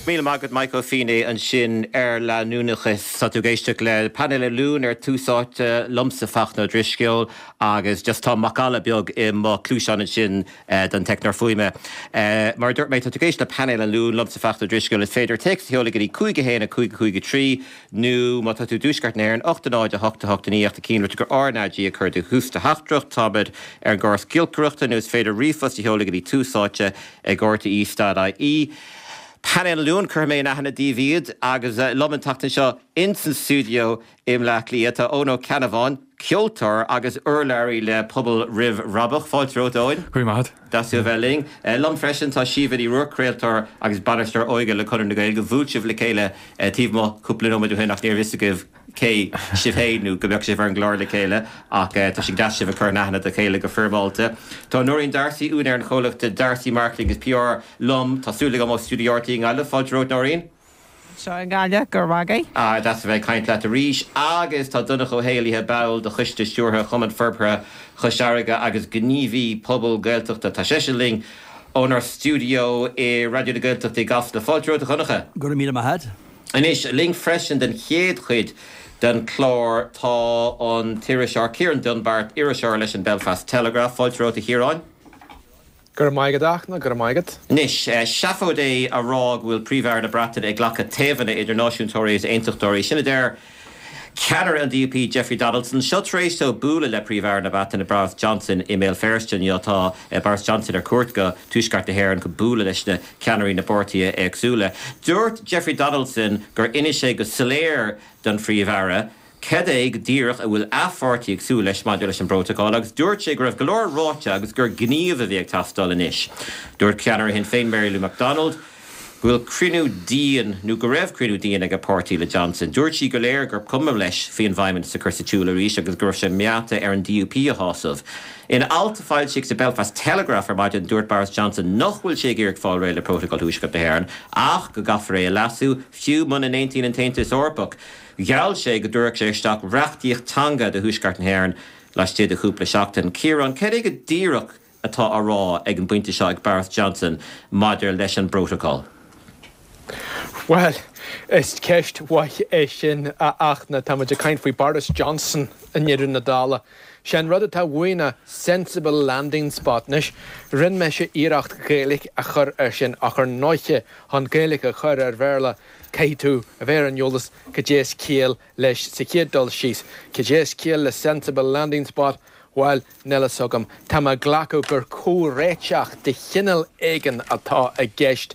Míle maith agat Mike Ó Fínné ansin ar leanúnachas. Tá tú ag éisteacht le Painéal an Luain ar Tús Áite liomsa Fachtna Ó Drisceoil agus just tá macalla beag i mo chluaiseán ansin don teicneoir fuaime. Mar a dúirt mé tá tú ag éisteacht le Painéal an Luain liomsa Fachtna Ó Drisceoil. Is féidir téacs a sheoladh go dtí 5 1 5 5 3 nó má tá tú i dtuaisceart na hÉireann, 8 0 8 8 9 ach tar cinnte gur RnaG a chur do thús do theachtaireacht. Táimid ar an gcóras giolcaireachta nó is féidir ríomhphost a sheoladh go dtí tús áite ag rte stad ie. Painéal an Luain, cuirfidh mé in aithne daoibh iad agus liom an tseachtain seo ins an stiúideo i mBleá Cliath tá Eoin Ó Ceannabháin, ceoltóir agus urlabhraí le Pobal Roimh Bhrabach. Fáilte romhat, Eoin. Go raibh maith agat. Deas tú a bheith linn. Liom freisin tá Síomha Ní Ruairc, craoltóir agus bainisteoir óige le Conradh na Gaeilge. Bhuail sibh le chéile taobh amuigh cúpla nóiméad ó shin ach ní raibh fhios agaibh cé sibh féin nó go mbeadh sibh ar an gclár le chéile ach tá sé deas sibh a chur in aithne do chéile go foirmeálta. Tá Nóirín D'Arcy, úinéir an chomhlachta D'Arcy Marketing agus PR liom. Tá súil agam ó stiúideo RTÉ i nGaillimh. Fáilte romhat Nóirín. Anseo i nGaillimh, go raibh maith agat. Ah, deas a bheith ag caint leat arís. Agus tá Donncha Ó hÉallaithe, ball de Choiste Stiúrtha Chumann Forbartha Chois Fharraige agus gníomhaí pobail Gaeltachta, tá seisean linn ónár stiúideo i Raidió na Gaeltachta i gCasla. Fáilte romhat, a Dhonncha. Go raibh míle maith agat. Anois, linn freisin den chéad chuid den chlár tá an t-iriseoir Ciarán Dunbar, iriseoir leis an Belfast Telegraph. Fáilte romhat, a Chiaráin. Go raibh maith agat, a Fhachtna, go raibh maith agat. Anois, seafóid é a rá go bhfuil Príomh-Aire na Breataine ag glacadh taobhanna idir náisiúntóirí is aontachtóirí. Sin a deir ceannaire an DUP, Jeffrey Donaldson. Seo tar éis dó bualadh le Príomh-Aire na Breataine, Boris Johnson, i mBéal Feirste inniu. Tá Boris Johnson ar cuairt go tuaisceart na hÉireann chun bualadh leis na ceannairí na bpáirtithe éagsúla. Dúirt Jeffrey Donaldson gur inis sé go soiléir don Phríomh-Aire cad é go díreach a bhfuil a pháirtí ag súil leis maidir leis an bprótacal agus dúirt sé go raibh go leor ráite agus gur gníomh a bhí ag teastáil anois. Dúirt ceannaire Shinn Féin Mary Lou McDonald go bhfuil cruinniú dian nó go raibh cruinniú dian ag a páirtí le Johnson. Dúirt sí gur léir gur cuma leis faoin bhFeidhmeannas a chur sa tsiúl arís agus go raibh sé meáite ar an DUP a shásamh. In alt a foilsíodh sa Belfast Telegraph ar maidin dúirt Boris Johnson nach bhfuil sé ag iarraidh fáil réidh le Prótacal Thuaisceart na hÉireann ach go gcaithfear é a leasú, fiú muna n-aontaíonn an tAontas Eorpach. Gheall sé go dtabharfadh sé isteach reachtaíocht teanga do Thuaisceart na hÉireann laistigh de chúpla seachtain. Ciarán, cad é go díreach atá á rá ag an bpointe seo ag Boris Johnson maidir leis an bprótacal? Bhuel, is ceist mhaith é sin, a Fhachtna. Tá muid ag caint faoi Boris Johnson i ndeireadh na dála. Sé an rud atá uaidh ná sensible landing spot. Anois, rinne mise iarracht Gaeilge a chur air sin ach ar ndóiche, chun Gaeilge a chur ar Bhéarla, Caithfidh tú a bheith ar an eolas cad é is ciall leis sa chéad dul síos. Cad é is ciall le sensible landing spot? Bhuel, níl fhios agam. Tá mé ag glacadh gur comhréiteach de chineál éigin atá i gceist.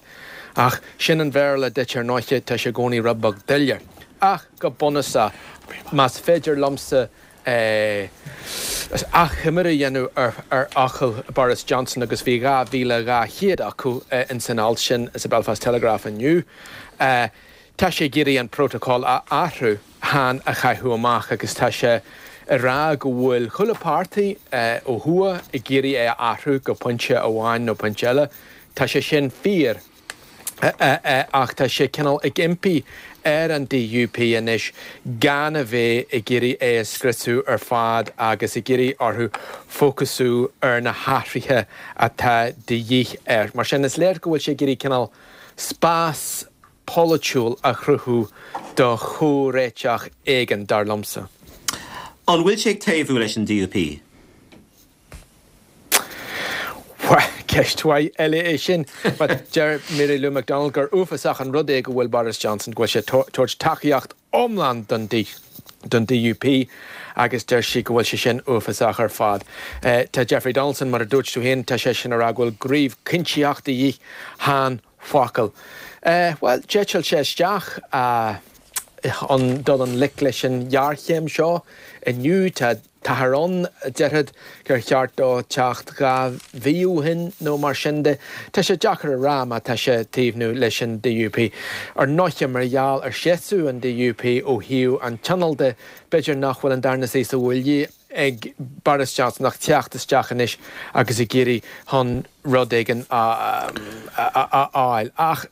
Ach sin an Bhéarla duit ar ndóiche, tá sé i gcónaí rud beag doiligh. Ach go bunúsach, más féidir liomsa achoimre a dhéanamh ar fhocail Boris Johnson agus bhí 2,200 acu ins an alt sin sa Belfast Telegraph inniu. Tá sé ag iarraidh an prótacal a athrú, chan a chaitheamh amach agus tá sé ag rá go bhfuil chuile páirtí ó thuaidh ag iarraidh é a athrú go pointe amháin nó pointe eile. Tá sé sin fíor. ach tá sé cineál ag impí ar an DUP anois gan a bheith ag iarraidh é a scriosadh ar fad agus ag iarraidh orthu fócasú ar na hathruithe atá de dhíth air. Mar sin, is léir go bhfuil sé ag iarraidh cineál spás polaitiúil a chruthú do chomhréiteach éigin, dar liomsa. An bhfuil sé ag taobhú leis an DUP? Bhuel, ceist mhaith eile é sin. But deir Mary Lou McDonald gur uafásach an rud é go bhfuil Boris Johnson, go bhfuil sé ag tabhairt tacaíocht iomlán don don DUP agus deir sí go bhfuil sé sin uafásach ar fad. Tá Jeffrey Donaldson, mar a dúirt tú féin, tá seisean ag rá go bhfuil gníomh cinntitheach de dhíth, chan focail. Bhuel, d'eitil sé isteach chun dul i ngleic leis an ghéarchéim seo inniu. Tá. Táthar ann a déarfadh gur cheart dó teacht 2 mhí ó shin nó mar sin de. Tá sé deacair a rá má tá sé ag taobhnú leis an DUP. Ar ndóiche, mar gheall ar sheasamh an DUP ó thaobh an Tionóil de, b'fhéidir nach bhfuil an darna suí sa bhaile ag Boris Johnson ach teacht isteach anois agus ag iarraidh chun rud éigin a fháil. Ach.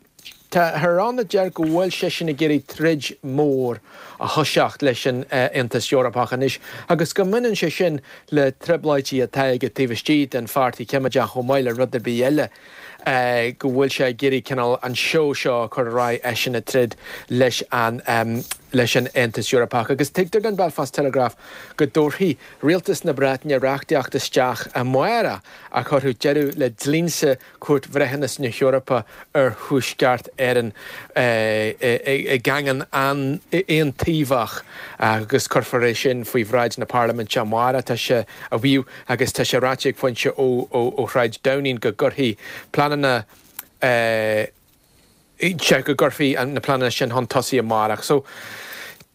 Táthar ann a deir go bhfuil seisean ag iarraidh troid mhór a thoiseacht leis an Aontas Eorpach anois agus go mbaineann sé sin le trioblóidí atá aige taobh istigh den Pháirtí Coimeádach chomh maith le rud ar bith eile, go bhfuil sé ag iarraidh cineál an seó seo a chur ar aghaidh, eisean ag troid leis an leis an Aontas Eorpach. Agus tuigtear don Belfast Telegraph go dtabharfaidh Rialtas na Breataine reachtaíocht isteach amárach a chuirfeadh deireadh le dlínse Chúirt Bhreithiúnas na hEorpa ar Thuaisceart Éireann i gcaingean an-aontaobhach agus cuirfear é sin faoi bhráid na Parlaiminte amárach, tá sé á mhaíomh agus tá sé ráite ag foinse ó Shráid Downing go gcuirfidh pleananna sé go gcuirfí na pleananna sin chun tosaigh amárach. So,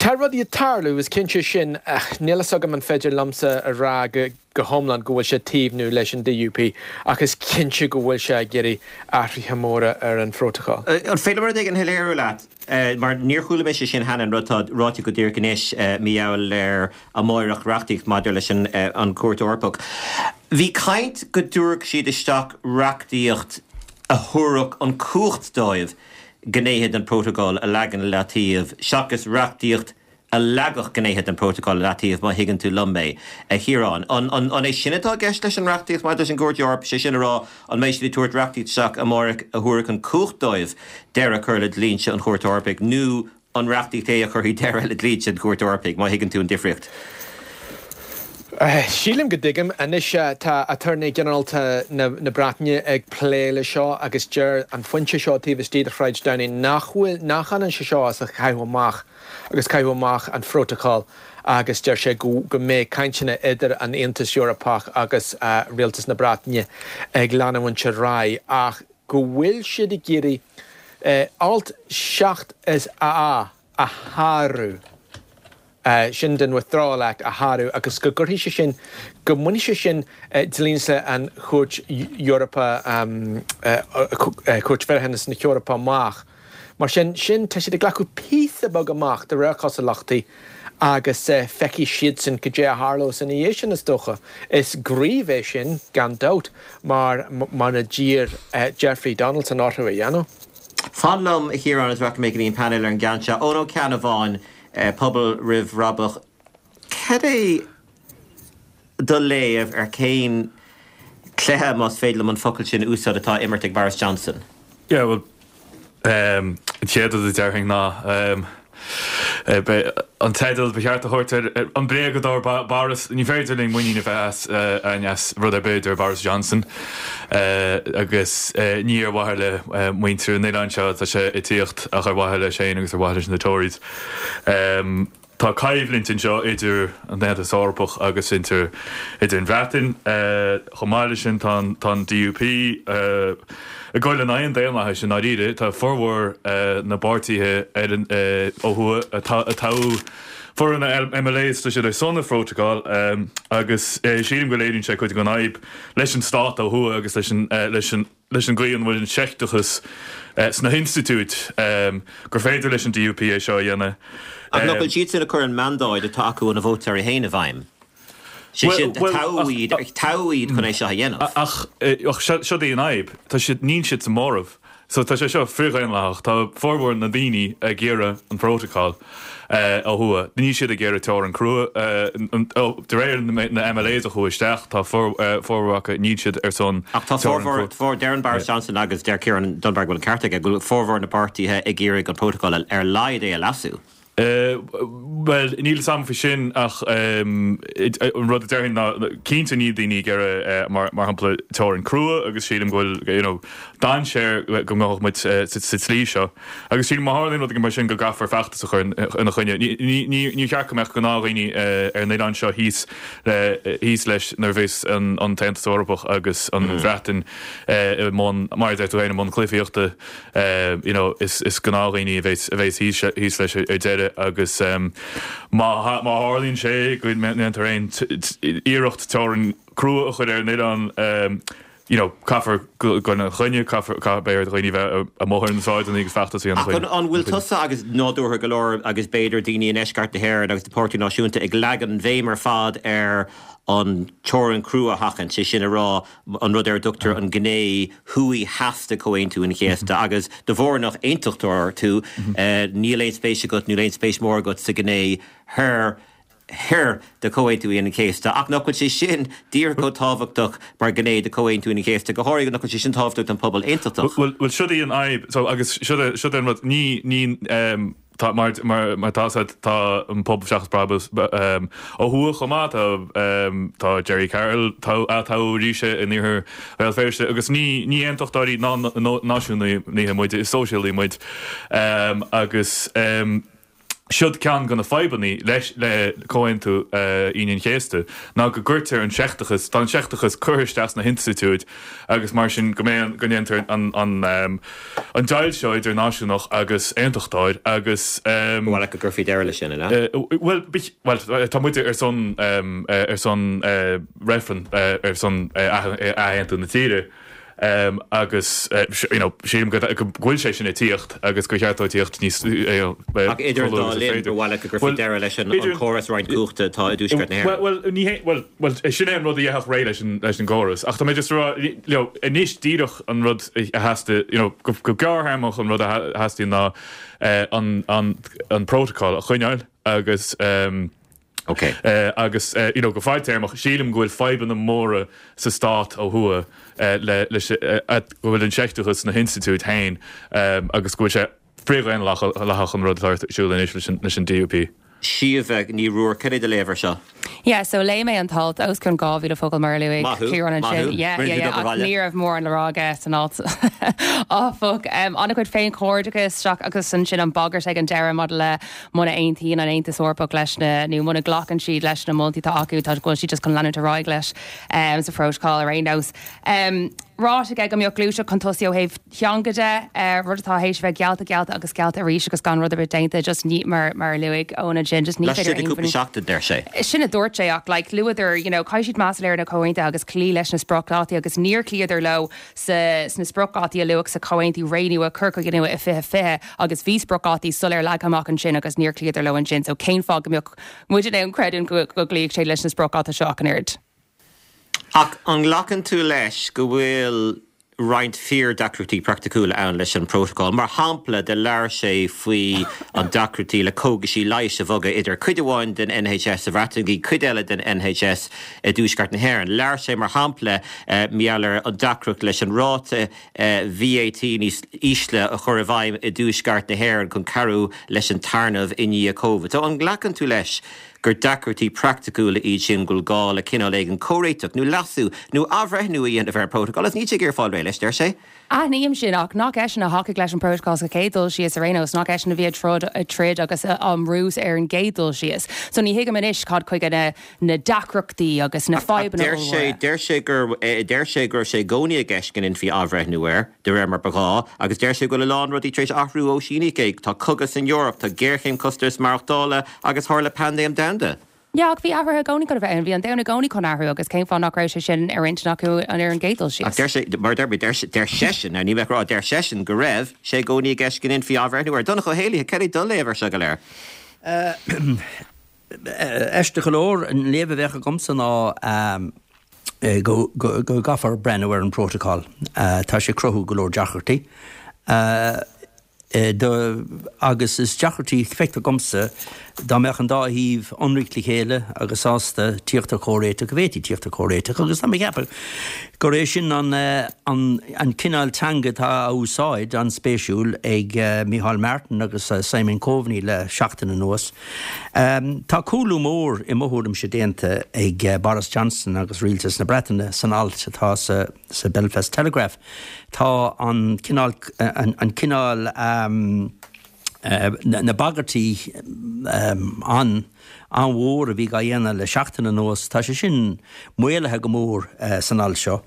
tá rudaí ag tarlú, is cinnte sin, ach níl fhios agam an féidir liomsa a rá go hiomlán go bhfuil sé ag taobhnú leis an DUP, ach is cinnte go bhfuil sé ag iarraidh athruithe móra ar an phrótacal. An féidir liom rud éigin a shoiléiriú leat? Mar níor chuala mise sin cheana, an rud atá ráite go díreach anois, mar gheall ar amáireach reachtaíocht maidir leis an Chúirt Eorpach. Bhí caint go dtabharfadh siad isteach reachtaíocht a thabharfadh an chumhacht dóibh gnéithe den Phrótacal a leagan i leataobh seachas reachtaíocht a leagfadh gnéithe den Phrótacal i leataobh, má thuigeann tú liom mé, a Chiaráin. An é sin atá i gceist leis an reachtaíocht maidir leis an gCúirt Eorpach, sé sin a rá, an mbeidh siad ag tabhairt reachtaíocht isteach amáireach a thabharfadh an chumhacht dóibh deireadh a chur le dlínse an Chúirt Eorpaigh nó an reachtaíocht é a chuirfidh deireadh le dlínse an Chúirt Eorpaigh, má thuigeann tú an difríocht. Sílim go dtuigim. Anois tá Aturnae Ginearálta na Breataine ag plé le seo agus deir an foinse seo taobh istigh de Shráid Downing nach bhfuil, nach ionann sé seo is a chaitheamh amach agus caitheamh amach an phrótacail agus deir sé go go mbeidh cainteanna idir an Aontas Eorpach agus Rialtas na Breataine ag leanúint ar aghaidh ach go bhfuil siad ag iarraidh alt 7 is A a shárú, sin den Withdrawal Act a shárú agus go gcuirfidh sé sin, go mbainfidh sé sin dlínse an Chúirt Eorpa, Cúirt Bhreithiúnas na hEorpa amach. Mar sin, sin, tá siad ag glacadh píosa beag amach de réir cosúlachtaí agus feicfidh siadsan cad é a tharlós ina dhiaidh sin, is dócha. Is gníomh é sin, gan dabht, mar mar a d'iarr Jeffrey Donaldson orthu a dhéanamh. Fan liom, a Chiaráin, is rachaidh mé go dtí an painéal ar an gceann seo. Eoin Ó Ceannabháin, Pobal Roimh Bhrabach, cad é do léamh ar cén cluiche, más féidir liom an focal sin a úsáid, atá á imirt ag Boris Johnson? Yeah, bhuel, an chéad rud a déarfainn ná an teideal ba cheart a thabhairt ar an bréagadóir Boris, ní féidir linn muinín a bheith as againn as rud ar bith a deir Boris Johnson agus ní ar mhaithe le muintir an oileáin seo atá sé ag tíocht ach ar mhaithe leis féin agus ar mhaithe leis na Tories. Tá coimhlint anseo idir an Aontas Eorpach agus idir an Bhreatain. Chomh maith leis sin, tá an DUP ag goil in aghaidh an daonlathais i ndáiríre. Tá formhór na bpáirtithe ar an ó thuaidh a toghadh formhór na MLAs, tá siad ar son an phrótacail agus sílim go léiríonn sé cuid den fhadhb leis an stát ó thuaidh agus leis an leis an leis an gcaoi an bhfuil an seicteachas sna hinstitiúid gur féidir leis an DUP é seo a dhéanamh. Ach nach bhfuil siadsan ag cur an mandáid atá acu ó na vótóirí féin i bhfeidhm? Sé sin, toghadh iad, toghadh iad chun é seo a dhéanamh. Ach seo í an fhadhb, tá siad, níl siad sa móramh. So tá sé seo frithdhaonlathach. Tá formhór na ndaoine ag iarraidh an phrótacal ó thuaidh. Níl siad ag iarraidh teorainn crua. De réir na MLAs a chuaigh isteach, tá formhór acu, níl siad ar son Ach tá teorainn crua. Formhór, deireann Boris Johnson agus deir Ciarán Dunbar go bhfuil an ceart aige, go bhfuil formhór na bpáirtithe ag iarraidh an prótacal ar a laghad é a leasú. Bhuel, níl fhios a'm faoi sin ach an rud a déarfainn ná cinnte níl daoine ag iarraidh mar shampla teorainn crua agus sílim go bhfuil you know dainséar go ngabhfadh muid sa tslí seo agus sílim má tharlaíonn rud éigin mar sin go gcaithfear feachtas a chur ina choinne. Níor cheart go mbeadh gnáthdhaoine ar an oileán seo thíos thíos leis nuair a bheas an tAontas Eorpach agus an Bhreatain i mbun, mar a deir tú féin, i mbun cluichíochta. you know is is gnáthdhaoine a bheas a bheas thíos thíos leis ar deireadh agus má má tharlaíonn sé go ndéantar aon iarracht teorainn crua a chur ar an oileán. You know, caithfear dul ina choinne, caithfear, caithfidh, beidh ar dhaoine bheith amuigh ar na sráideanna agus feachtas a dhéanamh Ach an bhfuil tusa agus nádúrtha go leor agus b'fhéidir daoine i ndeisceart na hÉireann agus an Páirtí Náisiúnta ag leagan an bhéim ar fad ar an teorainn chrua a sheachaint, sé sin a rá an rud ar a dtugtar an ghné thuaidh theas de Chomhaontú an Chéasta agus de bharr nach aontachtóir tú níl aon spéis agat, níl aon spéis mhór agat sa ghné thoir thoir de Chomhaontú Aoine an Chéasta, ach nach bhfuil sé sin díreach chomh tábhachtach mar ghné de Chomhaontú Aoine an Chéasta, go háirithe nach bhfuil sé sin tábhachtach don phobal aontachtach. Bhuel, siod í an fhadhb, so, agus siod é, siod é an rud, ní, ní, ehm, tá, mar, mar, mar atá a fhios agat, tá an Pobal Seachas Brabús, ehm, ó thuaidh chomh maith, tá, ehm, tá Gerry Carroll, tá, atoghadh arís in iarthar Bhéal Feirste, agus ní, ní aontachtóirí ná náisiúnaithe muid, is sóisialaigh muid, ehm, agus, ehm, Siod ceann de na fadhbanna leis le Comhaontú Aoine an Chéasta ná go gcuirtear an seicteachas, tá an seicteachas curtha isteach sna hinstitiúid agus mar sin go mbeidh, go ndéantar an an deighilt seo idir náisiúnach agus aontachtóir agus. Ba mhaith leat go gcuirfí deireadh leis sin, an ea? Bhuel, bhuel, tá muid ar son ar son reifreann ar son athaontú na tíre. Agus you know sílim go bhfuil sé sin ag tíocht agus gur cheart dó tíocht níos you know Ach idir an dá linn, ba mhaith leat go gcuirfí deireadh leis an córas roinnt cumhachta atá i dTuaisceart na hÉireann. Bhuel, ní hé, bhuel, bhuel, sin é an rud a dhéanfadh réidh leis an leis an gcóras. Ach tá mé just ag rá, you know, anois díreach an rud a theastaigh, you know, go go gearrthéarmach an rud a theastaíonn ná an an an protocol a choinneáil agus Ok. Agus you know go fadtéarmach, sílim go bhfuil fadhbanna móra sa stát ó thuaidh le leis go bhfuil an seicteachas sna hinstitiúid féin agus go bhfuil sé frithdhaonlathach an rud atá ar siúl anois leis an DUP. Síomha Ní Ruairc, cad é do léamh ar seo? Yeah, so léigh mé an t-alt, os cionn 2,000 focal mar a luaigh Maith thú, Ciarán maith ansin. thú. Yeah, Rinne yeah, tú yeah, obair ach bhaile. ní raibh mórán le rá aige san alt, áfach. An-chuid féinchairdeachais isteach agus ansin an bhagairt ag an deireadh maidir le Muna aontaíonn an Aontas Eorpach leis na, nó muna nglacann siad leis na moltaí atá acu, tá, go bhfuil siad just chun leanúint ar aghaidh leis sa phrótacal ar aon nós. Ráite aige go mbeadh gluaiseacht chun tosaigh ó thaobh teanga de, rud atá théis a bheith geallta, geallta agus geallta arís agus gan rud ar bith déanta, just ní, mar, mar a luaigh Eoin ansin, just ní féidir Laistigh de aon cúpla seachtain, deir sé. Sin a dúirt sé ach like luadar, you know, caithfidh siad meas a léiriú ar na comhaontuithe agus cloí leis na spriocdhátaí agus níor chloíodar leo sa, sna spriocdhátaí a luadh sa chomhaontú Ré Nua, Cur Chuige Nua i 2020 agus bhí spriocdhátaí soiléir leagtha amach ansin agus níor chloíodar leo ansin so cén fáth go mbeadh muid in ann creidiúint go go gcloífeadh sé leis na spriocdháta seo ach an oiread? Ach an nglacann tú leis go bhfuil roinnt fíor-deacrachtaí praiticiúla ann leis an bprótacal? Mar shampla, do labhair sé faoi an deacrachtaí le cógaisí leighis a bhogadh idir cuid amháin den NHS sa Bhreatain go dtí cuid eile den NHS i dTuaisceart na hÉireann. Labhair sé, mar shampla, mar gheall ar an deacracht leis an ráta VAT níos ísle a chur i bhfeidhm i dTuaisceart na hÉireann chun cabhrú leis an téarnamh i ndiaidh Covid. So, an nglacann tú leis gur deacrachtaí praiticiúla iad sin go bhfuil gá le cineál éigin comhréiteach nó leasú nó athbhreithniú a dhéanamh ar an bprótacal? Agus níl sé ag iarraidh fáil réidh leis, deir sé. Aithním sin, ach nach eisean a thacaigh leis an bprótacal sa chéad dul síos ar aon nós, nach eisean a bhí ag troid, ag troid agus á mbrú ar an gcéad dul síos. So ní thuigim anois cad chuige na na deacrachtaí agus na Ach fadhbanna deir sé, ollmhóra. deir sé gur, deir sé go raibh sé i gcónaí i gceist go ndéanfaí athbhreithniú air, de réir mar ba ghá, agus deir sé go bhfuil a lán rudaí tar éis athrú ó síníodh é, tá cogadh san Eoraip, tá géarchéim costas maireachtála agus tharla paindéim domhanda. Yeah, ach bhí athruithe i gcónaí chun a bheith ann. Bhí an domhan i gcónaí chun athrú agus cén fáth nach raibh sé sin ar intinn acu ar an gcéad dul Ach síos? deir sé, mar a deir mé, deir, deir seisean, now níl mé ag rá, deir seisean go raibh sé i gcónaí i gceist go ndéanfaí athbhreithniú air. Donncha Ó hÉallaithe, cad é do léamh ar seo go léir? Aisteach go leor, an léamh a bheadh agamsa ná go gcaithfear breathnú ar an bprótacal. Tá sé ag cruthú go leor deacrachtaí. Agus is deacrachtaí, feictear dhomsa, dá mbeadh an dá thaobh ionraic le chéile agus sásta tíocht ar chomhréiteach, go bhféadfaí tíocht ar chomhréiteach. Agus tá mé ag ceapadh gur é sin an an cineál teanga atá á úsáid, an-spéisiúil, ag Micheál Martin agus Simon Coveney le seachtain anuas. Tá cúlú mór, i mo thuairimse, déanta ag Boris Johnson agus Rialtas na Breataine san alt atá sa sa Belfast Telegraph. Tá an cineál, an cineál, na bagairtí an, an-mhór a bhí á dhéanamh le seachtain anuas, tá sé sin maolaithe go mór san alt seo.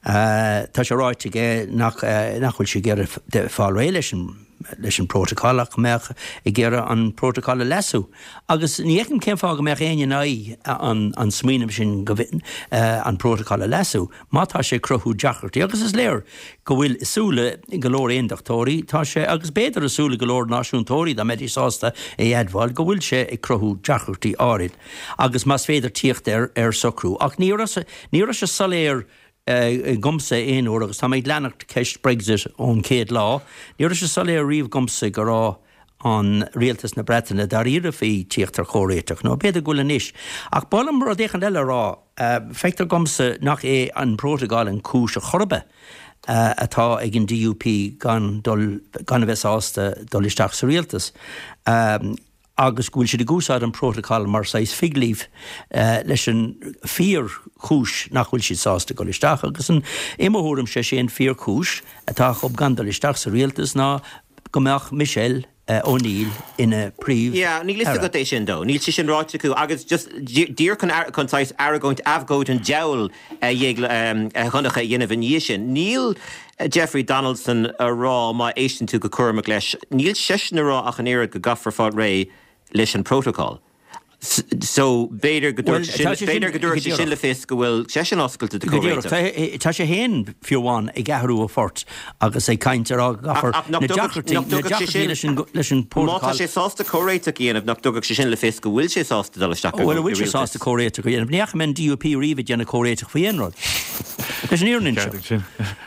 Tá sé ráite aige nach, nach bhfuil sé ag iarraidh fáil réidh leis an. leis an bprótacal ach go mbeadh ag iarraidh an prótacal a leasú. Agus ní fheicim cén fáth go mbeadh éinne in aghaidh an smaoineamh sin go an prótacal a leasú má tá sé ag cruthú deacrachtaí. Agus is léir go bhfuil i súile go leor aondachtóirí, tá sé, agus b'fhéidir i súile go leor náisiúntóirí dá mbeidís sásta é a admháil, go bhfuil sé ag cruthú deacrachtaí áirid agus más féidir tíocht ar ar socrú. Ach ní raibh ní raibh sé soiléir dhomsa aon uair, agus tá mé ag leanacht ceist Brexit ón chéad lá, ní raibh sé soiléir riamh dhomsa go raibh an rialtas na Breataine dáiríre faoi tíocht ar chomhréiteach, nó b'fhéidir go bhfuil anois. Ach ba mhaith liom rud éicint eile a rá, feictear dhomsa nach é an prótacal an chúis ar chor ar bith atá ag an DUP gan dul, gan a bheith sásta dul isteach sa rialtas. agus go bhfuil siad ag úsáid an prótacal mar saghas fig leaf leis an fíor chúis nach bhfuil siad sásta dul isteach agus an, i mo thuairimse, sé an fíor chúis atá acu gan dul isteach sa rialtas ná go mbeadh Michelle O'Neill ina Príomh Yeah, níl fhios Aire. agat é sin though. Níl sé sin ráite acu agus just díreach chun chun saghas argóint abhcóid an diabhail a a Dhonncha a dhéanamh ina dhiaidh sin. Níl Jeffrey Donaldson a rá, má éisteann tú go cúramach leis, níl seisean a rá ach an oiread go gcaithfear fáil réidh leis an bprótacal. So, b'fhéidir go Bhuel, dtabharfadh sé sin, tá sé sin, b'fhéidir go go dtabharfadh sé sin díreach. le fios go bhfuil seisean oscailte do Go díreach. chomhréiteach. Tá, tá sé féin, fiú amháin, ag athrú a phort agus ag caint ar á go Ach, gcaithfear ach nach na dtugadh, deacrachtaí, nach na dtugadh sé deacrachtaí sin, leis an, leis an má tá bprótacal. sé sásta comhréiteach a dhéanamh, nach dtugadh sé sin le fios go bhfuil sé sásta dul isteach i Bhuel, an bhfuil sé rialtas? sásta comhréiteach a dhéanamh? Ní fhaca mé an DUP riamh ag déanamh comhréiteach faoi aon rud. Leis an fhírinne Ceart seo. ag sin.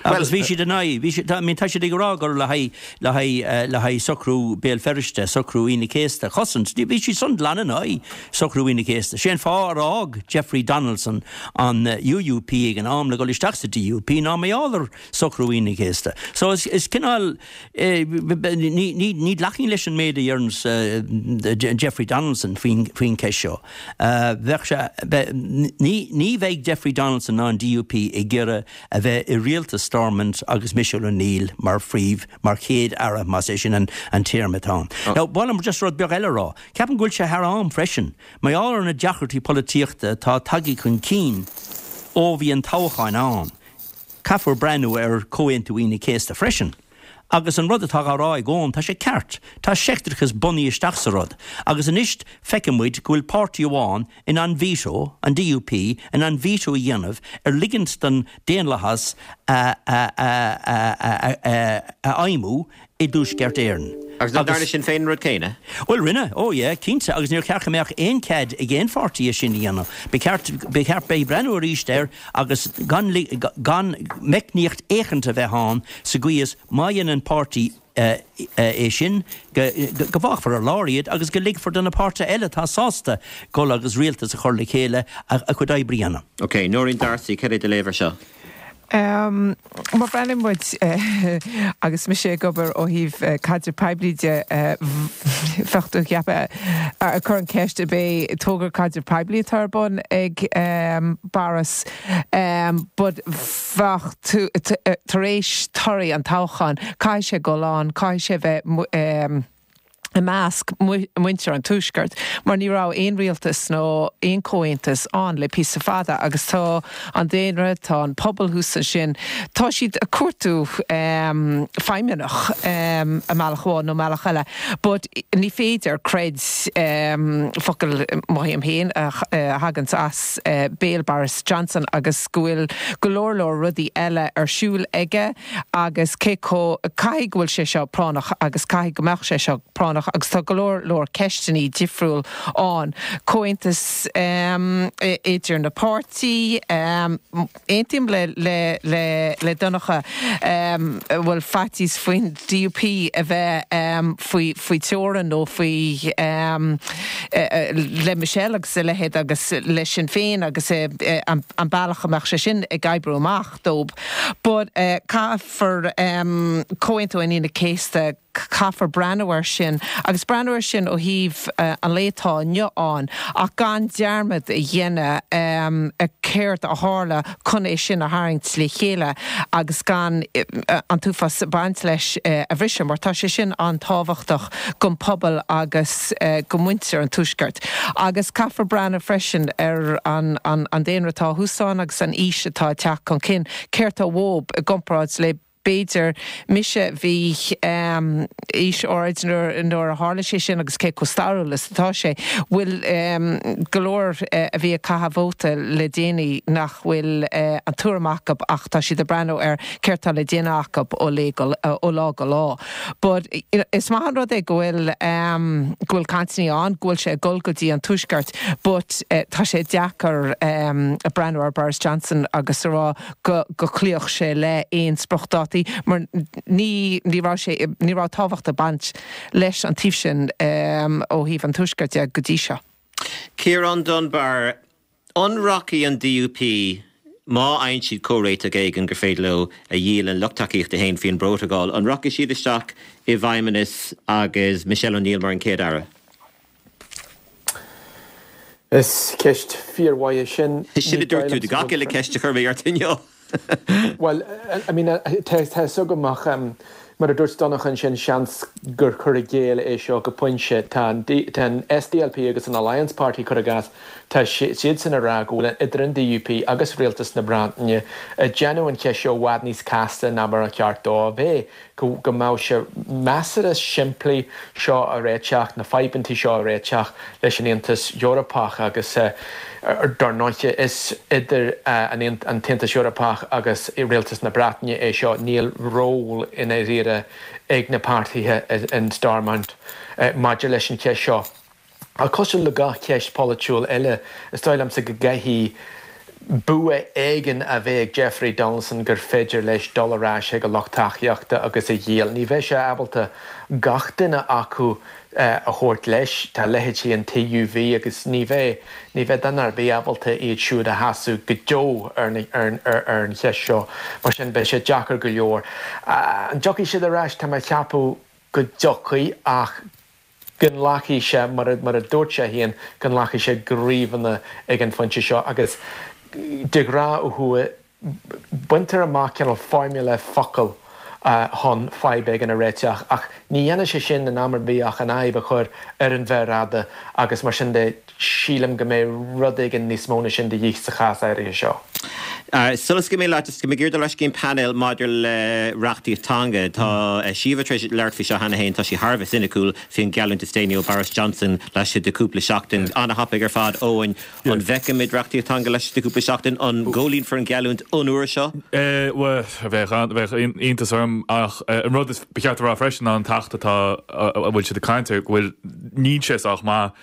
Agus bhí siad in aghaidh, bhí siad, I mean, tá siad ag rá gur le haghaidh, le haghaidh, le haghaidh socrú Béal Feirste, socrú Aoine an Chéasta a chosaint. Bhí siad san glan in aghaidh socrú Aoine an Chéasta. Sé an fáth ar fhág Jeffrey Donaldson an UUP ag an am le dhul isteach sa DUP ná mar gheall ar socrú Aoine an Chéasta. So is, is cineál, ní, ní, ní ghlacfainn leis an méid a deireanns Jeffrey Donaldson faoin, faoin cheist seo. Bheadh sé, ní, ní bheidh Jeffrey Donaldson ná an DUP ag iarraidh a bheith i rialtas Stormont agus Michelle O'Neill mar phríomh, mar chéad aire, más é sin an téarma atá ann. Now, ba mhaith liom just rud beag eile a rá. Ceapaim go bhfuil sé thar am freisin, mar gheall ar na deacrachtaí polaitíochta atá tagtha chun cinn ó bhí an toghchán ann, caithfear breathnú ar Chomhaontú Aoine an Chéasta freisin. Agus an rud atá á rá ag Eoin, tá sé ceart. Tá seicteachas bunaithe isteach sa rud. Agus anois feiceann muid go bhfuil páirtí amháin in ann veto, an DUP, in ann veto a dhéanamh ar ligint don daonlathas a fheidhmiú i dTuaisceart Éireann. Agus nach ndearna Sinn Féin an rud céanna? Bhuel, rinne, oh yeah, cinnte, agus níor cheart go mbeadh aon cead ag aon pháirtí é sin a dhéanamh. Ba cheart, ba cheart, beidh breathnú arís air agus gan, gan meicníocht éicint a bheith ann sa gcaoi is má dhéanann páirtí é sin, go bhfágfar ar lár iad agus go ligfear do na páirtithe eile atá sásta dul agus rialtas a chur le chéile a gcuid oibre a dhéanamh. Ok, Nóirín D'Arcy, cad é do léamh ar seo? Má bhreathnaíonn muid, agus mise ag obair ó thaobh caidreamh poiblí de, bheadh tú ag ceapadh, ag cur an cheist ab é togra caidreamh poiblí atá ar bun ag Boris, but bheadh tú, tar éis torthaí an toghcháin, caithfidh sé dul ann, caithfidh sé bheith i measc muintir an Tuaiscirt, mar ní raibh aon rialtas nó aon chomhaontas ann le píosa fada agus tá an daonra, tá an pobal thuas ansin, tá siad ag cuartú feidhmeannach i mbealach amháin nó mbealach eile but ní féidir, creid focal mothaím féin a thaganns as béal Boris Johnson agus go bhfuil go leor leor rudaí eile ar siúl aige agus cé chomh, caithfidh go bhfuil sé seo práinneach agus caithfidh go mbeadh sé seo práinneach agus tá go leor leor ceisteannaí difriúil ann. Comhaontas idir na páirtí, aontaím le le le le Donncha bhfuil faitíos faoin DUP a bheith faoi faoi teorainn nó faoi le Michelle agus a leithéid agus le Sinn Féin agus an bealach a mbeadh sé sin ag oibriú amach. dóibh. But caithfear Comhaontú an Aoine Chéasta, caithfear breathnú air sin agus breathnú air sin ó thaobh an lae atá inniu ann ach gan dearmad a dhéanamh ar céard a tharla chun é sin a tharraingt le chéile agus gan an t-uafás ag baint leis a bhriseadh mar tá sé sin an-tábhachtach don phobal agus do mhuintir an Tuaiscirt. Agus caithfear breathnú freisin ar an daonra atá thuas ann agus an aois atá ag teacht chun cinn, céard tá uathub i gcomparáid le. B'fhéidir, mise, bhí aois áirid nuair a tharla sé sin agus cé chomh stairiúil is atá sé, bhfuil go leor a bhí ag caitheamh vóta le déanaí nach bhfuil an tuairim acu ach tá siad ag breathnú ar céard tá le déanamh acu ó ó lá go lá. But is maith an rud é go bhfuil go bhfuil cainteanna ann, go bhfuil sé ag dul go dtí an Tuaisceart but tá sé deacair breathnú ar Boris Johnson agus a rá go go gcloífeadh sé le aon spriocdhátaí mar ní ní raibh sé ní raibh tábhacht ag baint leis an taobh sin ó thaobh an Tuaiscirt de go dtí seo. Ciarán Dunbar, An rachaidh an DUP, má fhaigheann siad comhréiteach éigin gur féidir leo a dhíol lena lucht tacaíochta féin faoin bprótacal, an rachaidh siad isteach i bhFeidhmeannas agus Michelle O'Neill mar an Chéad-Aire? Is ceist fíormhaith é sin. Sin a dúirt tú do gach uile cheist a chuir mé ort inniu. Bhuel, I mean, tá a fhios agam ach mar a dúirt Donncha ansin, seans gur cur i gcéill é seo go pointe. Tá an tá an SDLP agus an Alliance Party, cuir i gcás, tá siadsan ag rá go bhfuil idir an DUP agus Rialtas na Breataine ag déanamh an cheist seo i bhfad níos casta ná mar a cheart dó a bheith. go go mbeadh sé measartha simplí seo a réiteach, na fadhbantaí seo a réiteach leis an Aontas Eorpach agus dar ndóiche is idir an an tAontas Eorpach agus Rialtas na Breataine é seo, níl ról i ndáiríre ag na páirtithe in Stormont maidir leis an cheist seo. Ach cosúil le gach ceist pholaitiúil eile, is dóigh liomsa go gcaithfidh bua éigin a bheith ag Jeffrey Donaldson gur féidir leis dul ar ais chuig a lucht tacaíochta agus a dhíol. Ní bheidh sé ábalta gach duine acu a thabhairt leis. Tá leithéidí an TUV agus ní bheidh, ní bheidh duine ar bith ábalta iad siúd a shásamh go deo ar ar an cheist seo. Mar sin, beidh sé deacair go leor. An dtiocfaidh siad ar ais? Tá mé ag ceapadh go dtiocfaidh ach go nglacfaidh sé, mar a dúirt sé féin, go nglacfaidh sé gníomhanna ag an phointe seo agus de ghnáth ó thuaidh baintear amach cineál foirmle focal chun fadhb éigin a réiteach ach ní dhéanfaidh sé sin in am ar bith ach an fhadhb a chur ar an mhéar fhada agus mar sin de sílim go mbeidh rud éigin níos mó na sin de dhíth sa chás áirithe seo. Sula scaoilfidh mé leat, tá mé ag iarraidh dul ar ais go dtí an painéal maidir le reachtaíocht teanga. Tá Síomha tar éis labhairt faoi seo cheana féin, tá sí thar a bheith soiniciúil faoin gheallúint is déanaí ó Boris Johnson laistigh de chúpla seachtain. An-thapaidh ar fad, Eoin. An bhfeicfimid reachtaíocht teanga laistigh de chúpla seachtain? An gcomhlíonfar an gheallúint an uair seo? Bhuel, bheadh iontas orm ach an rud is ba cheart a rá freisin ná an t-acht atá a bhfuil siad ag caint air go bhfuil níl sé sách maith.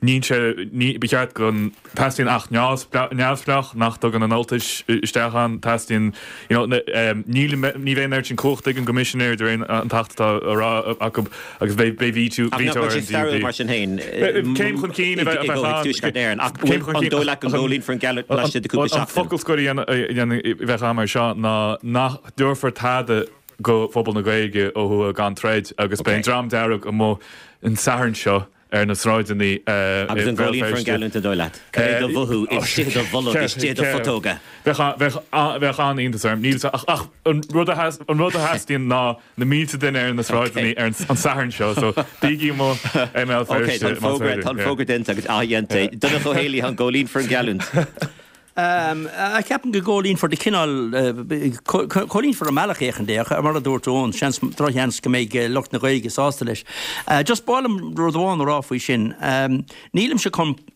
Níl sé, ní, ba cheart go dteastaíonn acht neamhspleách nach dtugann an Ultais isteach ann, teastaíonn, you know, níl, ní bheidh an oiread sin cumhachta ag an gCoimisinéir de réir an t-acht atá á rá acu agus beidh, beidh veto, Ach veto nach ar bhfuil an sé stairiúil DUP. mar sin féin Céim chun cinn a i bheith, a bheith gcomhthéacs ann. Tuaisceart Éireann ach Céim chun an cinn, dóigh leat go ach an, gcomhlíonfar an geallúint an laistigh de chúpla an seachtain? focal scoir a dhéanamh, a dhéanamh, a bheadh agam ar seo ná nach dtabharfar tada go phobal na Gaeilge ó thuaidh gan troid agus beidh an Dream Dearg amuigh an Satharn seo ar na sráideanna i Agus an Béal gcomhlíonfar an Feirste. geallúint an dóigh leat? Cad é do mhothú istigh i do bholg, istigh i do phutóga? Bheadh bheadh an-iontas orm. Níl ach ach an rud a an rud a theastaíonn ná na mílte duine ar na sráideanna ar an Satharn seo so bígí amuigh i mBéal Ok, Feirste tá an más fógra féidir. tá an fógra déanta agus athdhéanta. Donncha Ó hÉalaithe, an gcomhlíonfar an gheallúint? Ceapaim go gcomhlíonfar de chineál, comhlíonfar i mbealach éicint é, ach mar a dúirt Eoin, seans, drochsheans go mbeidh lucht na Gaeilge sásta leis. Just ba mhaith liom rud amháin a rá faoi sin. Nílimse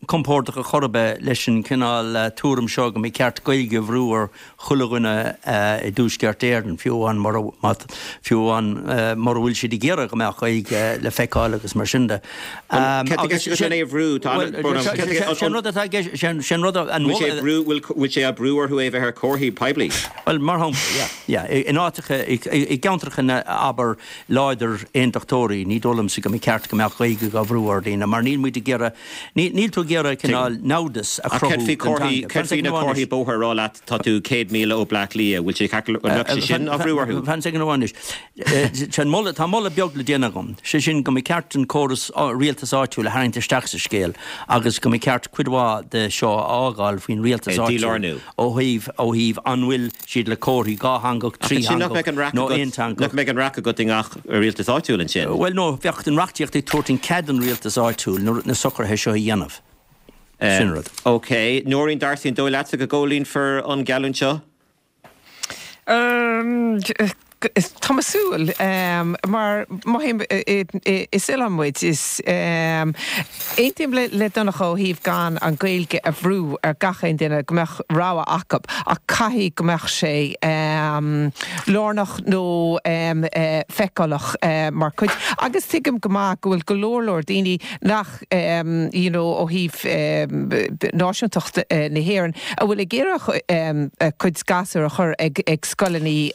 compordach ar chor ar bith leis an chineál tuairim seo go mba cheart Gaeilge a bhrú ar chuile dhuine i dTuaisceart Éireann, fiú amháin mura, fiú amháin mura bhfuil siad ag iarraidh go mbeadh Gaeilge le feiceáil agus mar sin de. Céard atá i gceist agat lena é a bhrú? Tá an, Sé an rud atá i gceist, sé an rud an Bhfuil sé ag brú, bhfuil sé á brú orthu é a bheith ar chomharthaí poiblí? Bhuel, mar shampla, yeah, yeah, in áiteacha, i gceantracha na, abair, láidir aontachtóirí, ní dóigh liomsa go mba cheart go mbeadh Gaeilge á bhrú ar dhaoine, mar níl muid ag iarraidh, níl tú ag iarraidh cineál namhdas a Ach chruthú céard faoi don comharthaí, teanga. céard faoi na comharthaí bóthair ag rá leat tá tú 100 míle ó Bleá Cliath, bhfuil sé ceart, an mbeadh sé sin á bhrú orthu? Fan soicind amháin anois. Sé an moladh, tá moladh beag le déanamh agam, sé sin go mba ceart an córas rialtas áitiúil a tharraingt isteach sa scéal agus go mba ceart cuid mhaith de seo a fhágáil faoin rialtas áitiúil Dílárnú. ó thaobh, ó thaobh an bhfuil siad le comharthaí dhátheangach, Ach ansin nach mbeadh trítheangach an raic nó agat, aonteangach. nach mbeadh an raic agat i ngach rialtas áitiúil ansin? Bhuel no, bheadh an reachtaíocht ag tabhairt an cead don rialtas áitiúil na, na socruithe seo a dhéanamh. Sin rud. Ok. Nóirín D'Arcy, an dóigh leatsa go gcomhlíonfar an geallúint seo? Tá mé ag súil, mar mothaím is oileán muid, is aontaím le Donncha ó thaobh gan an Ghaeilge a bhrú ar gach aon duine, go mbeadh rogha acu, ach caithfidh go mbeadh sé lárnach nó feiceálach mar chuid, agus tuigim go maith go bhfuil go leor leor daoine nach you know ó thaobh náisiúntacht na hÉireann, a bhfuil ag iarraidh a gcuid gasúr a chur ag ag scoileanna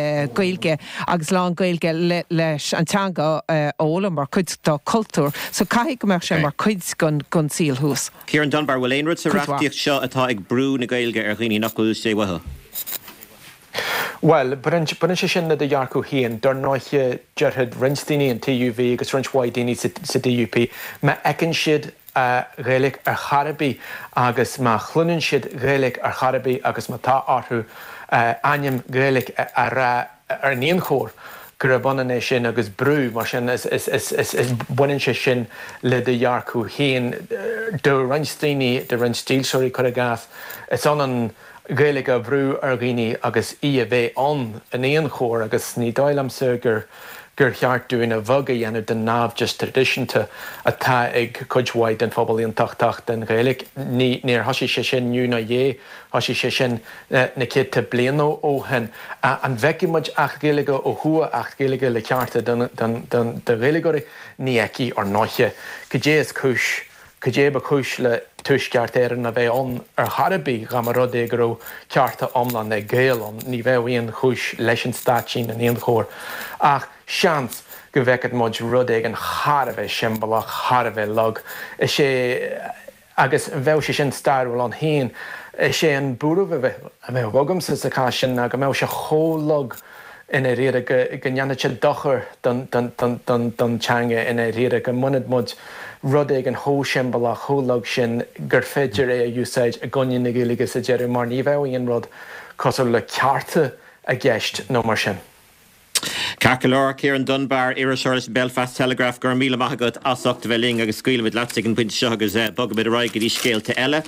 Gaeilge agus lán-Ghaeilge leis an teanga a fhoghlaim mar chuid dá cultúr. So caithfidh go mbeadh sé mar chuid den saol thuas. Ciarán Dunbar, Bhfuil aon rud sa reachtaíocht seo atá ag brú na Gaeilge ar dhaoine nach bhfuil sé uathu? Bhuel, baineann sé sin le do dhearcadh féin. Dar ndóighe, déarfadh roinnt daoine, an TUV agus roinnt mhaith daoine sa DUP, má fheiceann siad Gaeilge ar chor ar bith agus má chluineann siad Gaeilge ar chor ar bith agus má tá orthu ainm Gaeilge a rá in aon chor, gurb ionann é sin agus brú. Mar sin, baineann sé sin le do dhearcadh féin. Do roinnt daoine, do roinnt dílseoirí, cuir i gcás, is ionann Gaeilge a bhrú ar dhaoine agus í a bheith ann in aon chor agus ní dóigh liomsa gur gur cheart dúinn a bheag a dhéanamh den naimhdeas traidisiúnta atá ag cuid mhaith den phobal aontachtach den Ghaeilge. Ní níor thosaigh sé sin inniu ná inné, thosaigh sé sin na céadta bliain ó shin. An bhfeicfidh muid Acht Gaeilge ó thuaidh, Acht Gaeilge le cearta don do Ghaeilgeoirí? Ní fheicfidh, ar ndóiche. Cad é is cúis Cad é ba chúis le Tuaisceart Éireann a bheith ann ar chor ar bith dá mba rud é go raibh cearta iomlán ag Gaeil ann? Ní bheadh aon chúis leis an stáitín in aon chor. Ach seans go bhfeicfeadh muid rud éigin thar a bheith siombalach, thar a bheith lag. Is é, agus bheadh sé sin stairiúil ann féin. Is é an buaireamh a bheadh agamsa sa chás sin ná go mbeadh sé chomh lag i ndáiríre go ndéanfadh sé dochar don teanga i ndáiríre, go mbainfeadh muid rud éigin chomh siombalach, chomh lag sin gur féidir é a úsáid i gcoinne na Gaeilge sa deireadh mar ní bheadh aon rud cosúil le cearta i gceist nó mar sin. Ceart go leor, Ciarán Dunbar, iriseoir leis an Belfast Telegraph, go raibh míle maith agat as ucht a bheith linn agus scaoilfimid leat ag an bpointe seo agus bogfaimid ar aghaidh go dtí scéalta eile.